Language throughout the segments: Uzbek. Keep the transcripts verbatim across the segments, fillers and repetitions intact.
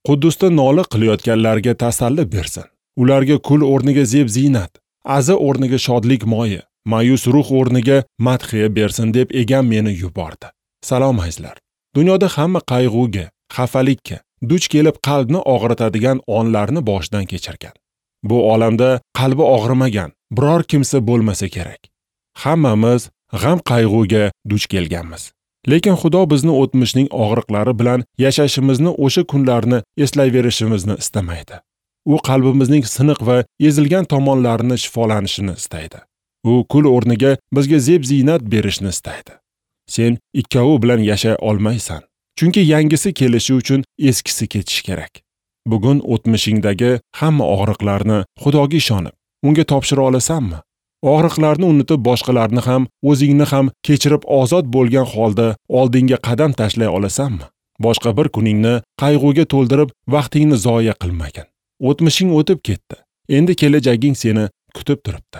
Quddusda nola qilayotganlarga tasalli bersin. Ularga kul o'rniga zeb ziynat, aza o'rniga shodlik moyi, ma'yus ruh o'rniga madhiya bersin deb egam meni yubordi. Salom azizlar. Dunyoda hamma qayg'uga, xafalikka duch kelib qalbni og'ritadigan onlarni boshidan kechirgan. Bu olamda qalbi og'rimagan biror kimsa bo'lmasa kerak. Hammamiz g'am qayg'uga duch kelganmiz. Lekin Xudo bizni o'tmishning og'riqlari bilan yashashimizni, o'sha kunlarni eslayverishimizni istamaydi. U qalbimizning siniq va ezilgan tomonlarini shifolanishini istaydi. U kul o'rniga bizga zeb ziynat berishni istaydi. Sen ikkovi bilan yashay olmaysan. Chunki yangisi kelishi uchun eskisi ketishi kerak. Bugun o'tmishingdagi hamma og'riqlarni Xudoga ishonib, unga topshira olasanmi? Og'riqlarni unutib, boshqalarni ham, o'zingni ham kechirib ozod bo'lgan holda oldinga qadam tashlay olasanmi? Boshqa bir kuningni qayg'uga to'ldirib, vaqtingni zoya qilmagin. O'tmishing o'tib ketdi. Endi kelajaging seni kutib turibdi.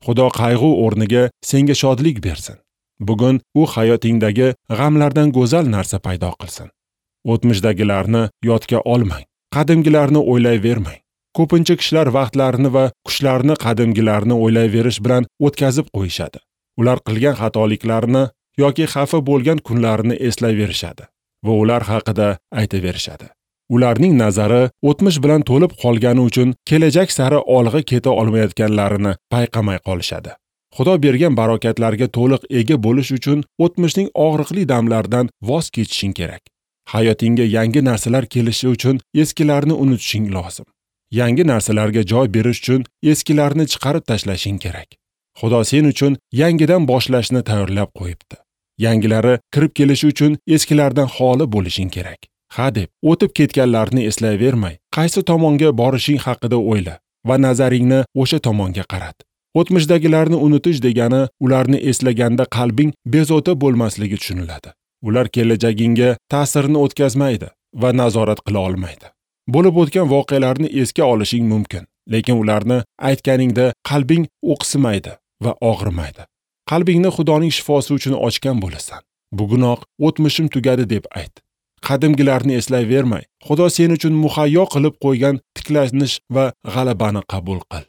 Xudo qayg'u o'rniga senga shodlik bersin. Bugun u hayotingdagi g'amlardan go'zal narsa paydo qilsin. O'tmishdagilarni yodga olmang. Qadimgilarni o'ylayvermang. Ko'pincha kishilar vaqtlarini va kuchlarini qadimgilarni o'ylayverish bilan o'tkazib qo'yishadi. Ular qilgan xatoliklarini yoki xafa bo'lgan kunlarini eslayverishadi va ular haqida aytaverishadi. Ularning nazari o'tmish bilan to'lib qolgani uchun kelajak sari olg'a keta olmayotganlarini payqamay qolishadi. Xudo bergan barokatlarga to'liq ega bo'lish uchun o'tmishning og'riqli damlaridan voz kechishing kerak. Hayotingga yangi narsalar kelishi uchun eskilarni unutishing lozim. Yangi narsalarga joy berish uchun eskilarni chiqarib tashlashing kerak. Xudo sen uchun yangidan boshlashni tayyorlab qo'yibdi. Yangilari kirib kelishi uchun eskilardan xoli bo'lishing kerak. Ha deb o'tib ketganlarni eslayvermay, qaysi tomonga borishing haqida o'yla va nazaringni o'sha tomonga qarat. O'tmishdagilarni unutish degani ularni eslaganda qalbing bezovta bo'lmasligi tushuniladi. Ular kelajagingga ta'sirini o'tkazmaydi va nazorat qila olmaydi. Bo'lib o'tgan voqealarni esga olishing mumkin, lekin ularni aytganingda qalbing o'qsimaydi va og'rimaydi. Qalbingni Xudoning shifosi uchun ochgan bo'lasan. Bugunoq o'tmishim tugadi deb ayt. Qadimgilarni eslayvermay, Xudo sen uchun muhayyo qilib qo'ygan tiklanish va g'alabani qabul qil.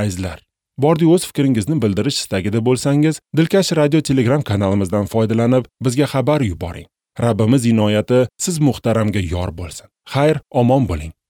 Azizlar, bordi o'z fikringizni bildirish istagida bo'lsangiz, Dilkash radio Telegram kanalimizdan foydalanib, bizga xabar yuboring. Rabbimiz inoyati siz muhtaramga yor bo'lsin. Xayr, omon bo'ling.